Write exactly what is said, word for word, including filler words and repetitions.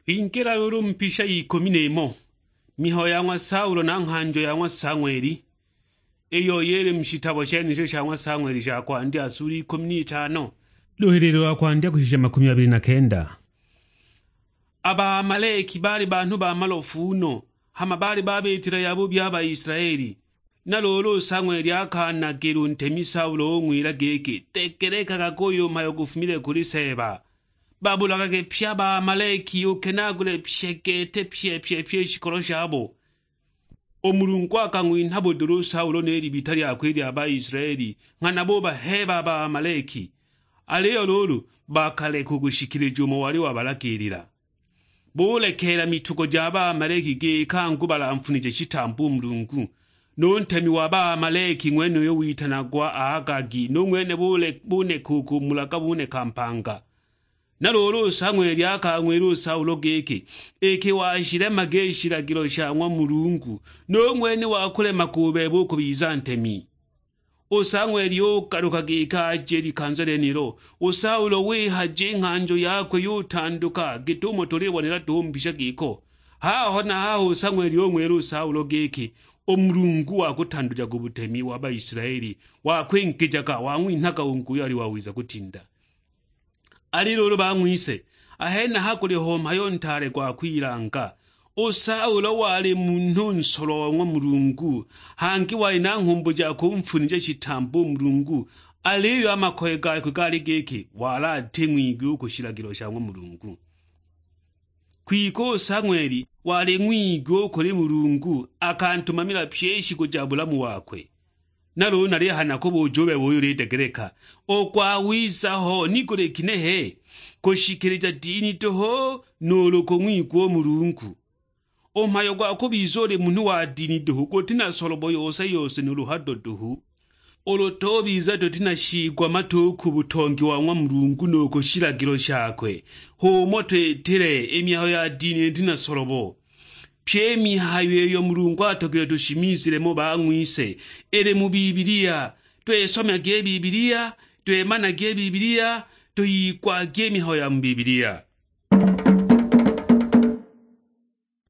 Kwingila luulu mu pisha y'ikumi n'imo, mihayo ya ng'wa Saulo na nghanjo ya ng'wa Sang'weli, iyo yili mu shitabo shenisho sha ng'wa Sang'weli sha kwandya sula ikumi n'itano, luhililo lwa kwandya kushisha makumi abili na kenda. A Baamaleki baali banhu ba malofu no, hama baali babitila yabubi a Baisilaeli. Na luulu u Sang'weli akanagila u ntemi Saulo, ung'wila giki, "Degelekaga, guyu mhayo gufumile kuli Seeba. Babulagage pye a Baamaleki, ukenaagule pye gete pye pye pye i shikolo shabo." U Mulungu akang'winha budula u Saulo ni libita lyakwe i lya Baisilaeli, nghana bubaheeba a Baamaleki. Aliyo luulu bakaleka u kushikilija umo wali wabalagiilila. Bulekeela mitugo ja Baamaleki giki angu balamfunije shitambo u Mulungu. Nu ntemi wa Baamaleki ng'wenuyo witanagwa Agagi, nu ng'wene bule-, buneka u kumulaga buneka mpanga. Na luulu u Sang'weli akang'wila u Saulo giki, "Iki washilemaga i shilagilo sha ng'wa Mulungu, nu ng'wene wakulemaga u bebe u kubiza ntemi." U Sang'weli ugaluka giki aje i likanza lyenilo, u Saulo wihaja i nghanjo yakwe yutanduka, git'umo tulibonela duhu mu mbisha giko. Haho na haho u Sang'weli ung'wila u Saulo giki, "U Mulungu wakutandujaga u butemi wa Baisilaeli, wakwingijaga, wang'winhaga u nguyu ali wawiza kutinda." Ali luulu bang'wise, a henaha guliho mhayo ntaale gwa kwilanga. U Saulo wali munhu nsolwa wa ng'wa Mulungu, hangi wali na nghumbu ja kumfunija shitambo u Mulungu, aliyo a makoye gakwe gaali giki wali ati ng'wigwi u ku shilagilo sha ng'wa Mulungu. Kwike u Sang'weli wali ng'wigwi u kuli Mulungu, akantumamila pyi i shiku ja bulamu wakwe. Na luulu nalihaya nakubuuja u bebe uyo ulidegeleka, u gwawiza ho ni guli ginehe? Kushikilija dini duhu, nuulu kung'wigwa u Mulungu? U mhayo gwa kubiza uli munhu wa dini duhu guti na solobo yose yose nuulu hado duhu. Ulu tubiza tuti na shiigwa matu ku butongi wa ng'wa Mulungu nu ku shilagilo shakwe, h'umo twitile, i mihayo ya dini iti na solobo. Pyi i mihayo iyo Mulungu atogilwe tushimizile mo bang'wise, ili mu Bibilia. Twisomyage i Bibilia, twimanage i Bibilia, tuyigwage i mihayo ya mu Bibilia.